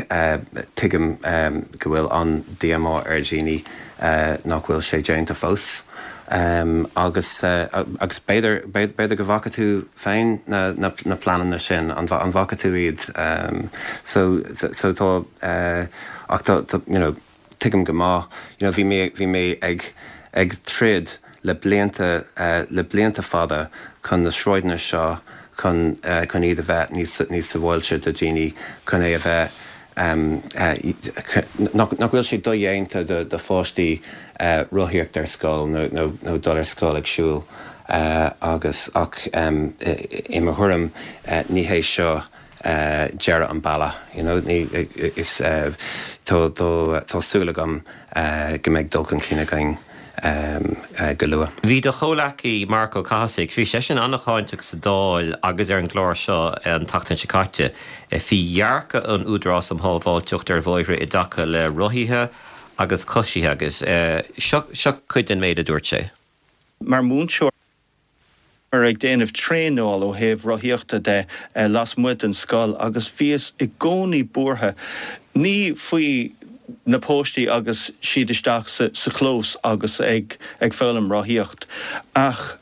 tuigim go bhfuil an-díomá ar dhaoine nach bhfuil sé déanta fós. Agus agus b'fhéidir b'fhéidir go bhfaca tú féin na na pleananna sin, an bhfaca tú iad? So so tá ach tá you know tuigim go maith you know bhí mé bhí mé ag ag troid le blianta le blianta fada chun na sráideanna seo chun chun iad a bheith níos níos sábháilte do dhaoine chun é a bheith nach bhfuil sé dodhéanta do pháistí rothaíocht ar scoil nó dul ar scoil ag siúl agus ach i mo thuairim ní hé seo deireadh an bealaigh you know ní is tá súil agam go mbeidh dul chun cinn againn go luath. Bhí do chomhleacaí Marc Ó Cathasaigh, bhí seisean an-cháinteach sa Dáil agus ar an gclár seo an tseachtain seo caite, faoi dhearcadh an Údarás um Shábháilteacht ar Bhóithre i dtaca le rothaithe agus coisithe agus seo seo cuid den méid a dúirt sé. Mar mhúinteoir. ag déanamh traenáil ó thaobh rothaíochta de lasmuigh den scoil agus bhíos i gcónaí buartha, ní faoi na páistí agus siad isteach sa chlós agus ag foghlaim rothaíocht ach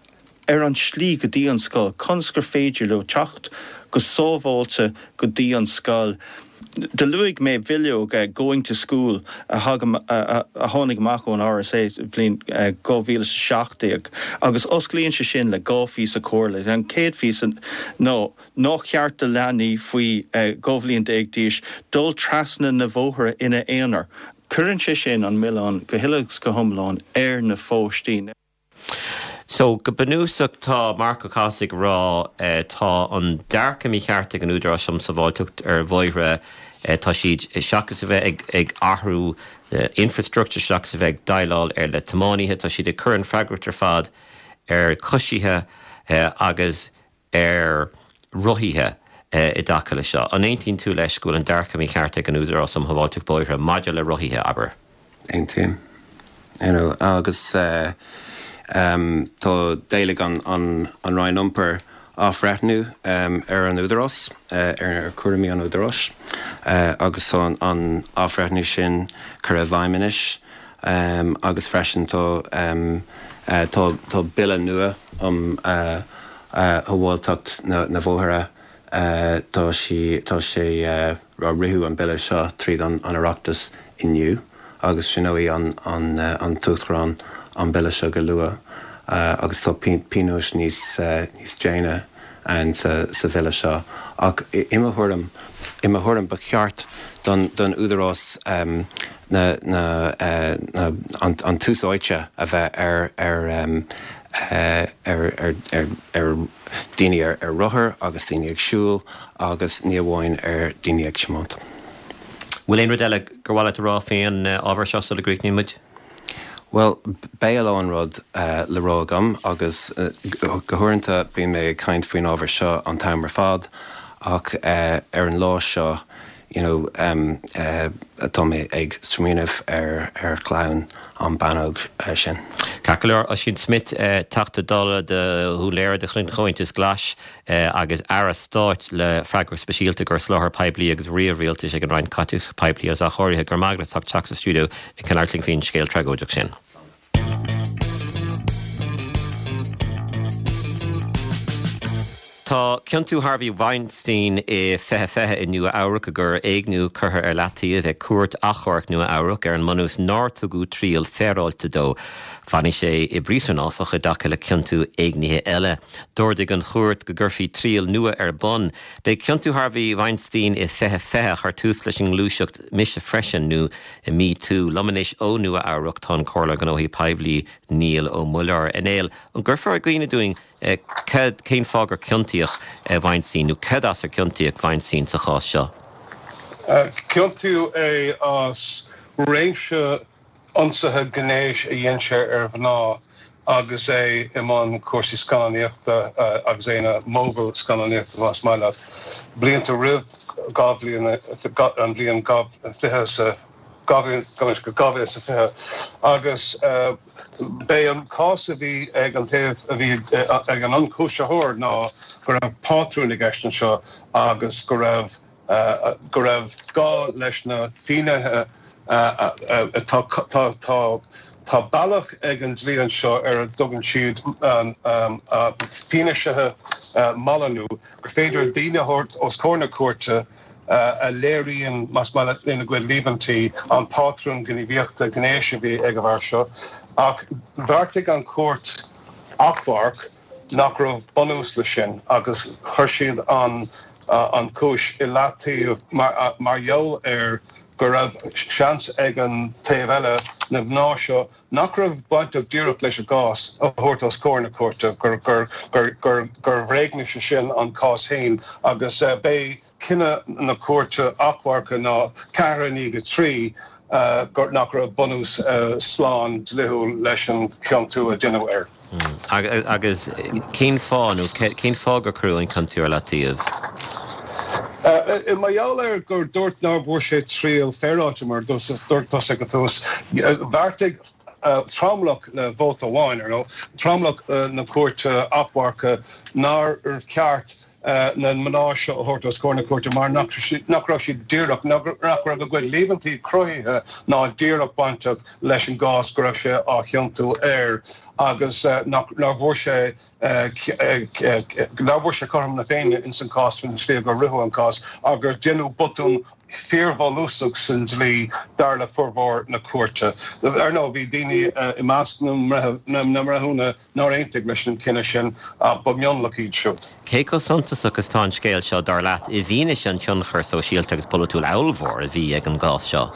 ar an slí go dtí an scoil, conas gur féidir leo teacht go sábháilte go dtí an scoil. Do luaigh mé bhileog Going to School a tháinig amach ón RSA sa bhliain 2017 agus osclaíonn sé sin le 2 phíosa comhairle. An chéad phíosa ná nár cheart do leanaí faoi 12 bhliain d'aois dul trasna na bhóithre ina aonar. Cuireann sé sin an milleán go huile is go hiomlán ar na pháistí. So, go bunúsach tá Marc Ó Cathasaigh ag rá tá an dearcadh mícheart ag an Údarás um Sábháilteacht ar Bhóithre, tá siad, seachas a bheith ag athrú infrastructure, seachas a bheith ag déileáil ar le tiománaithe, tá siad ag cur an freagracht ar fad ar choisithe agus ar rothaithe i dtaca le seo. An aontaíonn tú leis go bhfuil an dearcadh mícheart ag an Údarás um Shábháilteacht Bóithre maidir le rothaithe, abair? Aontaím. You know, agus tá d'éiligh an Roinn Iompair. athbhreithniú ar an Údarás, ar chúraimí an Údaráis agus tá an athbhreithniú sin curtha i bhfeidhm anois agus freisin tá tá bille nua um shábháilteacht na bhóithre, tá sí tá sé ritheadh an bille seo tríd an Oireachtas inniu agus síneoidh an an tUachtarán an bille seo go luath agus tá pionóis níos níos déine ann sa sa bhille seo ach i mo thuairim i mo thuairim ba cheart don don Údarás na na na an an tús áite a bheith ar ar ar ar ar ar daoine ar ar rothar agus daoine ag siúl agus ní amháin ar daoine ag tiomáint. Bhfuil aon rud eile gur mhaith leat a rá fén ábhar seo sula gcríochnaíonn muid? Bhuel, beidh a lán rud le rá agam agus go huaireanta bíonn mé ag caint faoin ábhar seo an t-am ar fad ach ar an lá seo you know tá mé ag smaoineamh ar ar chlann an bean óg sin. Ceart go leor, Ossian Smyth, Teachta Dála do Dhún Laoghaire de chuid an Chomhaontais Ghlais agus Aire Stáit le freagracht speisialta do Sholáthar Poiblí agus Ríomh-Rialtais ag an Roinn Caiteachais Poiblí agus Athchóirithe. Go raibh maith agat as ucht teacht sa stiúideo ag labhairt linn faoin scéal tragóideach sin. Tá ciontú Harvey Weinstein i 2020 i Nua Eabhrac i gcoir éigniú curtha ar leataobh ag Cúirt Achomhairc Nua Eabhrac ar an mbunús nár tugadh triail féaráilte dó. Fanfaidh sé i bpríosún, áfach, i dtaca le ciontú éignithe eile. D'ordaigh an chúirt go gcuirfí triail nua ar bun. B'é ciontú Harvey Weinstein i 2020 a chuir tús leis an ngluaiseacht Mise Freisin nó Me Too. Liom anois ó Nua Eabhrac tá an Comhairleoir Gnóthaí Poiblí Niall Ó Muilleoir. A Néill, an gcuirfeá i gcuimhne dúinn cad, cén fáth gur ciontaíodh Weinstein nó cad as ar ciontaíodh Weinstein sa chás seo? Ciontaíodh é as réimse ionsaithe gnéis a dhein sé ar mhná agus é i mbun cúrsaí scannánaíochta agus é ina mogall scannánaíochta más maith leat, blianta roimh 2000, an bhliain 20 2020 agus b'é an cás a bhí ag an taobh a bhí ag an ionchúisitheoir ná go raibh pátrún i gceist anseo agus go raibh go raibh gá leis na finnéithe tá tá tá tá bealach ag an dlí anseo ar a dtugann siad fianaise malla nó gur féidir daoine a thabhairt os comhair na cúirte a léiríonn, más maith leat, lena gcuid líomhaintí, an pátrún gníomhaíochta gnéis a bhí ag an bhfear seo. Ach bheartaigh an chúirt achomhairc nach raibh bunús leis sin agus chuir siad an an chúis i leataobh mar gheall ar go raibh seans ag an taobh eile, na mná seo, nach raibh bainteach díreach leis an gcás a thabhairt os comhair na cúirte, gur bhréagnaigh sé sin an cás féin agus b'é cinneadh na cúirte achomhairc ná 4 i ndiaidh 3 nach raibh bunús slán dlíthiúil leis an chiontú a deineadh air. Agus cén fáth, nó cén fáth gur cuireadh an ciontú ar leataobh? Mar gheall ar gur dúirt nár bhfuair sé triail féaráilte, mar a dúirt tusa ag an tús, bheartaigh tromlach le vóta amháin, ar ndóigh, tromlach na cúirte achomhairc nár cheart na mná seo a thabhairt os comhair na cúirte mar nach raibh siad díreach, nach raibh a gcuid líomhaintí cruthaithe ná díreach bainteach leis an gcás go raibh sé á chiontú air agus nach nár bhfuair sé nár bhfuair sé cothrom na Féinne ins an cás faoin tslí gur ritheadh an cás agus deineadh botún fíorbhunúsach san dlí dar le formhór na cúirte. Ar ndóigh bhí daoine i measc na mbreithiúna nár aontaigh leis an cinneadh sin ach ba mhionlach iad siúd. Cé chomh suntasach is atá an scéal seo, dar leat, i bhfianaise an tionchair sóisialta agus polaitiúil ollmhór a bhí ag an gcás seo?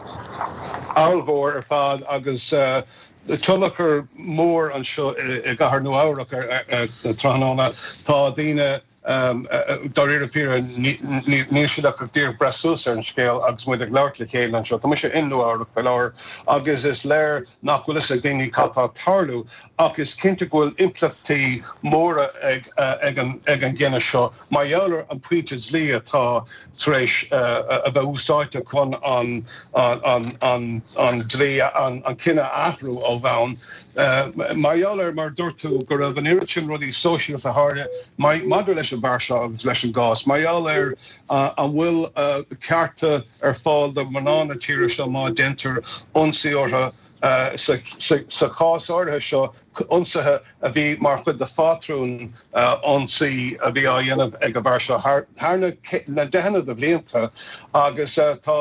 Ollmhór ar fad agus tionchar mór anseo i gcathair Nua-Eabhrac tráthnóna. Tá daoine. Dáiríre píre, níl siad ach díreach ag breith suas ar an scéal agus muid ag labhairt le chéile anseo. Tá mise i Nua-Eabhrac faoi láthair agus is léir nach bhfuil fhios ag daoine cad tá ag tarlú ach is cinnte go bhfuil impleachtaí móra ag an gcinneadh seo mar gheall ar an pointe dlí atá tar éis a bheith úsáidte chun an dlí, an cinneadh a athrú ó bhonn. Mar gheall ar, mar a dúirt tú, go raibh an oiread sin rudaí sóisialta thar maidir leis an bhfear seo agus leis an gcás, mar gheall ar an bhfuil cearta ar fáil do mhná na tíre seo má deintear ionsaí orthu sa chás áirithe seo, ionsaithe a bhí mar chuid de phátrún ionsaí a bhí á dhéanamh ag an bhfear seo thar na deicheanna de bhlianta agus tá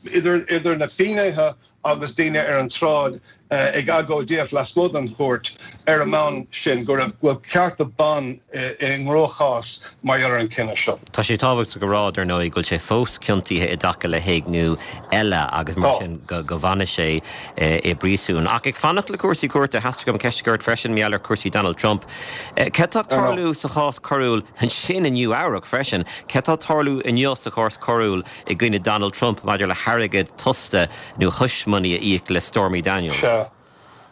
idir na finnéithe agus daoine ar an tsráid ag agóidíocht lasmuigh den chúirt ar an mbonn sin go raibh go bhfuil cearta ban i gcruachás mar gheall ar an gcinneadh seo. Tá sé tábhachtach a rá, dar ndóigh, go bhfuil sé fós ciontaithe i dtaca le héigniú eile agus mar sin go bhfanfaidh sé i bpríosún. Ach ag fanacht le cúrsaí cúirte, theastaigh uaim ceist a chur ort freisin mar gheall ar chúrsaí Donald Trump. Cad tá ag tarlú sa chás coiriúil ansin i Nua Eabhrac freisin? Cad tá ag tarlú inniu sa chás coiriúil i gcoinne Donald Trump maidir le hairgead tosta nó hush money a íoc le Stormy Daniels. Sea.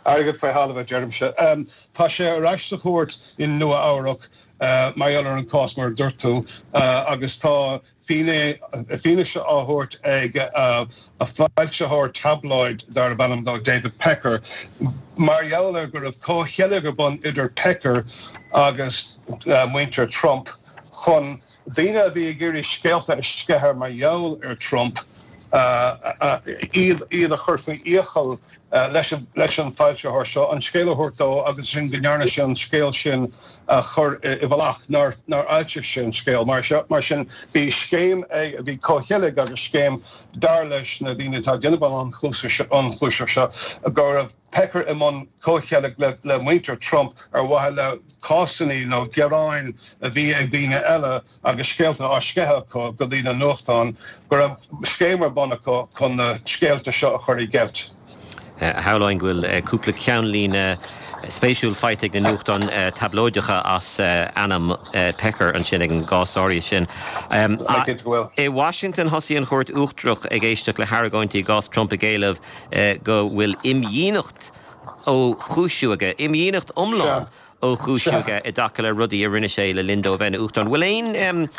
Airgead faoi thalamh a deirimse. Tá sé ar ais sa chúirt i Nua Eabhrac mar gheall ar an cás mar a dúirt tú agus tá fianaise á thabhairt ag a foilsitheoir tabloid darb ainm dó David Pecker mar gheall ar go raibh comhcheilg ar bun idir Pecker agus muintir Trump chun Daoine a bhí ag iarraidh scéalta a sceitheadh mar gheall ar Trump, iad iad a chur faoi iachall leis leis an foilsitheoir seo an scéal a thabhairt dó agus ansin go ndearna sé an scéal sin a chur i bhfolach, nár nár fhoilsigh sé an scéal. Mar mar sin bhí scéim ag, bhí comhcheilg agus scéim dar leis na daoine atá ag déanamh an ionchúiseamh seo go raibh Pecker i mbun comhcheilg le muintir Trump ar mhaithe le cásanna nó gearáin a bhí ag daoine eile agus scéalta á sceitheadh acu go dtí na nuachtáin, go raibh scéim ar bun acu chun na scéalta seo a chur i gceilt. Shamhlóinn go bhfuil cúpla ceannlíne spéisiúil faighte ag na nuachtáin tablóideacha as ainm Pecker ansin ag an gcás áirithe sin. I Washington thosaigh an Chúirt Uachtarach ag éisteacht le hargóintí i gcás Trump ag éileamh go bhfuil imdhíonacht ó chúisiú aige, imdhíonacht iomlán ó chúisiú aige i dtaca le rudaí a rinne sé le linn dó a bheith ina Uachtarán. Bhfuil aon,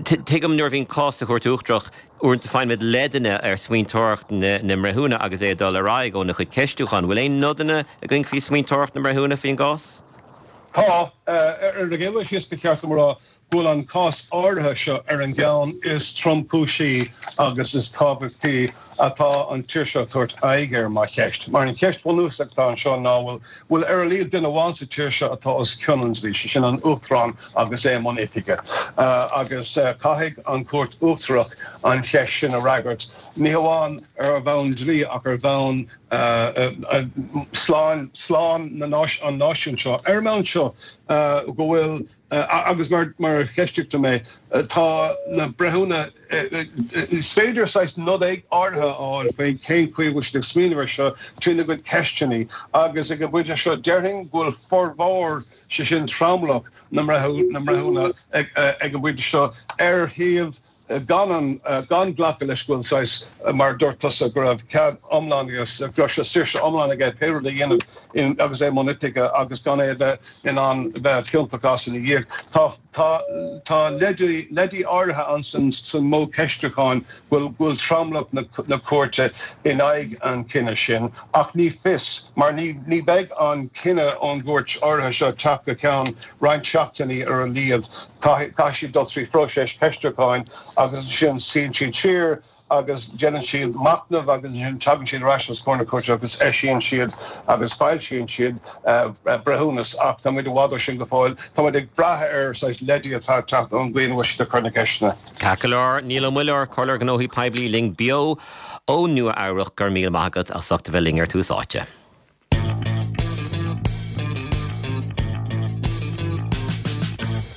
tuigim nuair a bhíonn cás sa Chúirt Uachtarach, uaireanta faigheann muid leideanna ar smaointeoireacht na mbreithiúna agus é ag dul ar aghaidh óna chuid ceistiúchán. Bhfuil aon nodanna againn faoi smaointeoireacht na mbreithiúna faoin gcás? Tá. Ar an gcéad dul síos ba cheart dom a rá go bhfuil an cás áirithe seo ar an gceann is tromchúisí agus is tábhachtaí atá an tír seo ag tabhairt aghaidh air mar cheist. Mar an cheist bhunúsach atá anseo ná bhfuil bhfuil ar a laghad duine amháin sa tír seo atá os cionn an dlí, sé sin an Uachtarán agus é i mbun oifige. Agus caithfidh an Chúirt Uachtarach an cheist sin a fhreagairt, ní hamháin ar bhonn dlí ach ar bhonn slán slán na an náisiúin seo. Ar an mbonn seo go bhfuil Agus mar a cheistigh tú mé, tá na breithiúna, is féidir saghas nod áirithe a fháil faoi cén chaoi a bhfuil siad ag smaoineamh air seo trína gcuid ceisteanna agus ag an bpointe seo déarfainn go bhfuil formhór, sé sin tromlach na mbreithiúna ag an bpointe seo ar thaobh gan an, gan glacadh leis go bhfuil saghas, mar a dúirt tusa, go raibh cead iomlán agus go raibh sé saoirse iomlán aige pé rud a dhéanamh agus é i mbun oifige agus gan é a bheith in ann bheith ciontach as ina dhiaidh. Tá, tá, tá leidí, leidí áirithe ann san, san modh ceistiúcháin go bhfuil, go bhfuil tromlach na, na cúirte in aghaidh an chinnidh sin ach ní fios mar ní, ní bheidh an cinneadh ón gcúirt áirithe seo ag teacht go ceann roinnt seachtainí ar a laghad. Caithfidh siad dul trí phróiseas ceistiúcháin agus ansin suíonn siad siar agus déanann siad machnamh agus ansin tagann siad ar ais os comhair na cúirte agus eisíonn siad agus foilsíonn siad breithiúnas ach tá muid i bhfad ó sin go fóill. Tá muid ag brath ar saghas leidí atá ag teacht ón gcaoi ina bhfuil siad ag cur na gceisteanna. Ceart go leor, Niall Ó Muilleoir, Comhairleoir Gnóthaí Poiblí linn beo ó Nua Eabhrach, go raibh míle maith agat as ucht a bheith linn ar Tús Áite.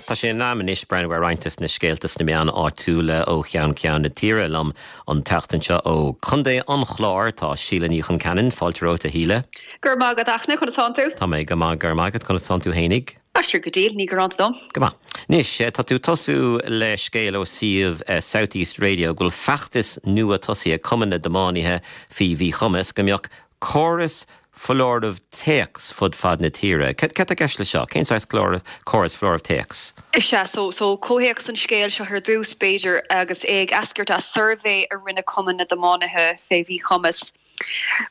Tá sé in am anois breathnú ar roinnt des na scéalta sna meáin áitiúla ó cheann ceann na tíre. Liom an tseachtain seo ó Chontae an Chláir tá Síle Ní Chonceanainn. Fáilte romhat a Shíle. Go raibh maith agat Fhachtna, conas tánn tú? Tá mé go maith, go raibh maith agat, conas tánn tú fhéinig? Aistear go diail, ní gearán dom. Go maith. Anois, tá tú ag tosú le scéal ó suíomh South East Radio go bhfuil feachtas nua tosaithe ag Cumann na dTiománaithe faoi Mhíchumas go mbeadh córas foláireamh téacs fud fad na tíre. Cad tá i gceist le seo? Cén saghas córas foláireamh téacs? Is ea, so, so comhthéacs an scéil seo ar dtús, b'fhéidir, agus é ag eascairt as suirbhé a rinne Cumann na dTiománaithe fé Mhíchumas.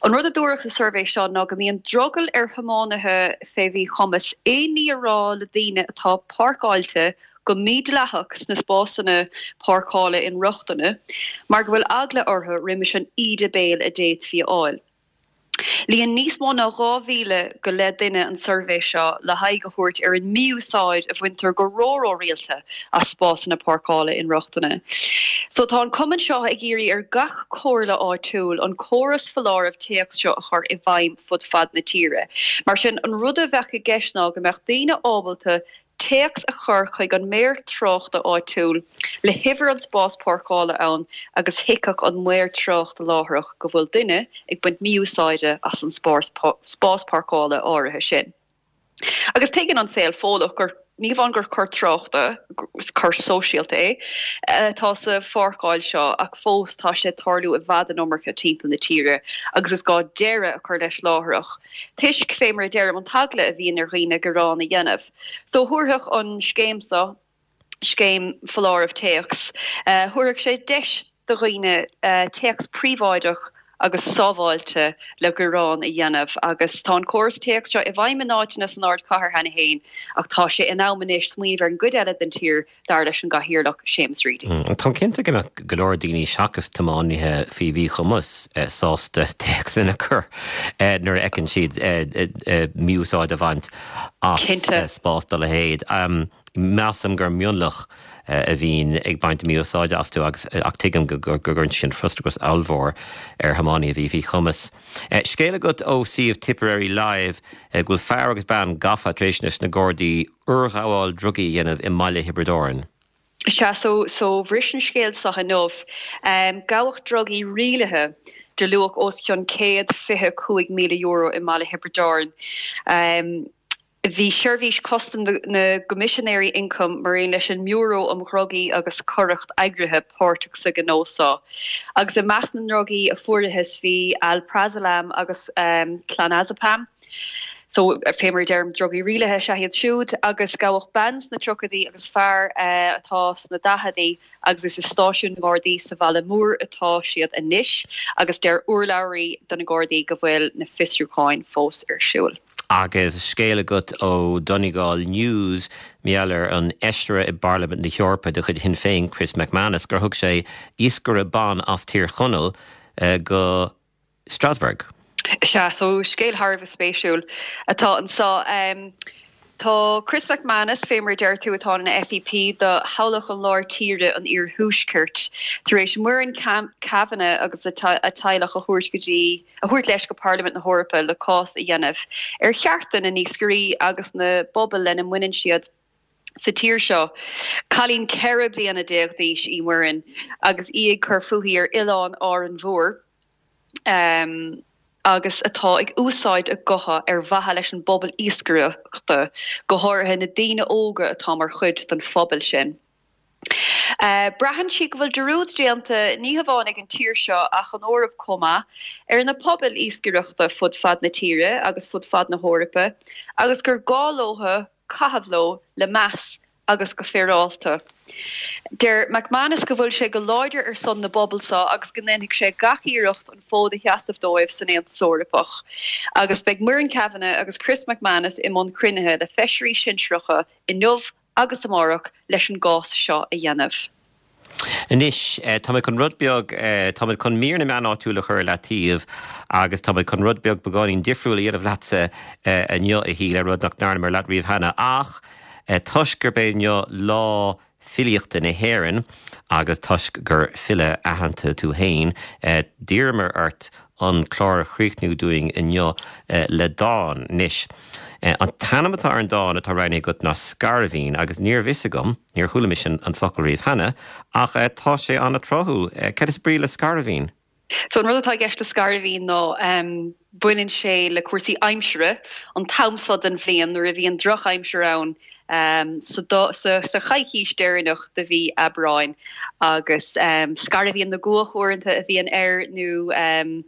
An rud a dúradh sa suirbhé seo ná go mbíonn drogall ar thiománaithe fé mhíchumas aon ní a rá le daoine atá páirceáilte go mídhleathach sna spásanna páirceála inrochtana mar go bhfuil eagla orthu roimis an íde béil a d'fhéadfaí a fháil. Líon níos mó ná 2,000 go leith duine an suirbhé seo le haghaidh a thabhairt ar an mí-úsáid a bhaintear go ró-ró-rialta as spásanna páirceála inrochtana. So tá an cumann seo ag iarraidh ar gach comhairle áitiúil an córas foláireamh téacs seo a chur i bhfeidhm fud fad na tíre. Mar sin, an rud a bheadh i gceist ná go mbeadh daoine ábalta téacs a chur chuig an maor tráchta áitiúil le huimhir an spás páirceála ann agus thuigfeadh an maor tráchta láithreach go bhfuil duine ag baint mí-úsáide as an spás páirceála áirithe sin. Agus tuigeann an saol Fódlach gur ní hamháin gur coir tráchta, coir sóisialta é, atá sa pháirceáil seo ach fós tá sé ag tarlú i bhfad an iomarca timpeall na tíre agus is gá deireadh a chur leis láithreach toisc, fé mar a deirim, an t-eagla a bhíonn ar dhaoine gearán a dhéanamh. So thabharfadh an scéim seo, scéim foláireamh téacs, thabharfadh sé deis do dhaoine téacs príobháideach agus sábháilte le gearán a dhéanamh agus tá an córas téacs seo i bhfeidhm in áiteanna san ardchathair cheana féin ach tá sé in am anois smaoineamh ar an gcuid eile den tír dar leis an gCathaoirleach Séamus Reidy. Táim cinnte go mbeadh go leor daoine seachas tiománaithe faoi mhíchumas sásta téacsanna a chur nuair a fheiceann siad mí-úsáid á bhaint as spás dá leithéid. Measaim gur mionlach a bhíonn ag baint mí-úsáide astu agus ach tuigim go gcuireann sin frustrachas ollmhór ar thiománaithe faoi mhíchumas. Scéal agat ó suíomh Tipperary Live go bhfuil fear agus bean gafa tar éis do na Gardaí urghabháil drugaí a dhéanamh i mbaile Thiobraid Árann. Sea, so, so bhris an scéal seo inniu. Gabhadh drugaí rialaithe de luach os cionn €125,000 i mbaile Thiobraid Árann. Bhí Seirbhís Custaim na gCoimisinéirí Ioncaim mar aon leis an mBiúró um Dhrugaí agus Coireacht Eagraithe páirteach sa ghnó seo. Agus i measc na ndrugaí a fuarathas bhí Alprazolam agus Clonazepam. So, fé mar a deirim, drugaí rialaithe is ea iad siúd. Agus gabhadh bean sna tríochaidí agus fear atá sna daicheadaí agus is i stáisiún na nGardaí sa bhaile mór atá siad anois agus deir urlabhraí do na Gardaí go bhfuil na fiosrúcháin fós ar siúl. Agus scéal agat ó Donegal News mar gheall ar an fheisire i bParlaimint na hEorpa de chuid Shinn Féin, Chris MacManus, gur thug sé iascaire ban as Tír Chonaill go Strasbourg. Sea, so scéal thar a bheith spéisiúil atá anso. Tá Chris MacManus, fé mar a deir tú, atá ina FEP do thoghlach an Láir Tíre an Iarthuaiscirt, tar éis Muireann Kavanagh agus a teaghlach a thabhairt go dtí a thabhairt leis go Parlaimint na hEorpa le cás a dhéanamh ar chearta na n-iascairí agus na bpobal lena mbaineann siad sa tír seo. Cailín 14 bliana d'aois í Muireann agus í ag cur fúithi ar oileán Árainn Mhór agus atá ag úsáid a gutha ar mhaithe leis an bpobal iascaireachta, go háirithe na daoine óga atá mar chuid den phobal sin. Braitheann sí go bhfuil dearúd déanta, ní hamháin ag an tír seo ach an Eoraip chomh maith, ar na pobail iascaireachta fud fad na tíre agus fud fad na hEorpa agus gur gá leo caitheamh leo le meas agus go féaráilte. Deir MacManus go bhfuil sé go láidir ar son na bpobal seo agus go ndéanfaidh sé gach iarracht an fód a sheasamh dóibh san Aontas Eorpach. Agus beidh Muireann Kavanagh agus Chris MacManus i mbun cruinnithe le feisirí sinsearacha inniu agus amárach leis an gcás seo a dhéanamh. Anois, tá mé chun rud beag, tá mé chun mír na meán áitiúil a chur i leataobh agus tá mé chun rud beag beagáinín difriúil a dhéanamh leatsa inniu, a Shíle, rud nach ndearnamar leat riamh cheana. Ach toisc gurb é inniu Lá Filíochta na hÉireann agus toisc gur file aitheanta tú féin, d'iarramar ort an clár a chríochnú dúinn inniu le dán. Anois, an t-ainm atá ar an dán atá roghnaithe agat ná Scairbhín agus níorbh fhios agam, níor chuala mise an focal riamh cheana, ach tá sé an-tráthúil. Cad is brí le scairbhín? So an rud atá i gceist le scairbhín ná. Baineann sé le cúrsaí aimsire, an t-am so den bhliain nuair a bhíonn drochaimsir ann sa sa choicís deireanach de mhí Aibreáin agus scairbhín na gcuach uaireanta a bhíonn air nó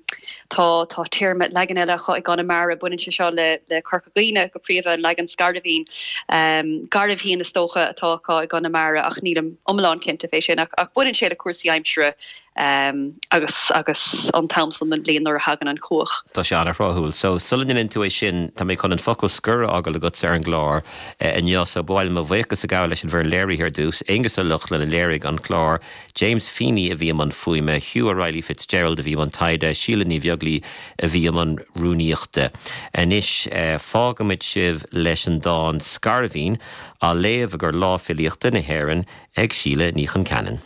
tá tá téarma leagan eile acu i gConamara, baineann sé seo le le Corca Dhuibhne go príomha, an leagan scairbhín. Gairbhshíon is dócha atá acu i gConamara ach nílim iomlán cinnte fé sin ach baineann sé le cúrsaí aimsire. agus agus an t-am san den bhliain nuair a thagann an chuach. Tá sé an-thráthúil. So, sula ndéanann tú é sin, tá mé chun an focal scoir a fhágáil agatsa ar an gclár inniu. So, ba mhaith liom mo bhuíochas a ghabháil leis an bhfoireann léirithe ar dtús, Aonghus Ó Lochlainn a léirigh an clár, James Feeney a bhí i mbun fuaime, Hugh O'Reilly Fitzgerald a bhí i mbun taighde, Síle Ní Bheaglaoi a bhí i mbun rúnaíochta. Anois, fágfaimid sibh leis an dán 'Scairbhín' á léamh i gcomhair Lá Filíochta na hÉireann ag Síle Ní Chonceanainn.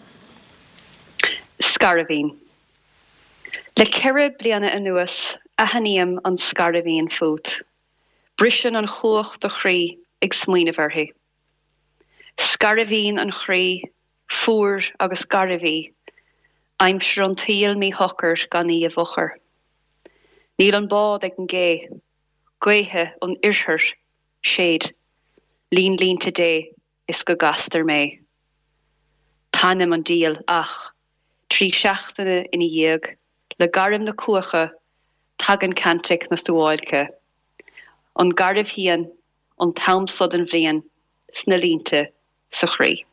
Scairbhín. Le ceithre bliana anuas aithním an scairbhín fút. Briseann an chuach do chroí ag smaoineamh uirthi. Scairbhín an chroí, fuar agus garbh í, aimsir an tsaoil míshocair gan í i bhfochair. Níl an bád ag an gcé, gaotha an oirthir, séid, líon línte Dé is go gcastar mé. Taitním an diabhal ach, 3 seachtaine ina dhiaidh, le gairm na cuaiche, tagann cantic na suáilce. An gairbhshíon, an t-am so den bhliain, sna línte, sa chroí.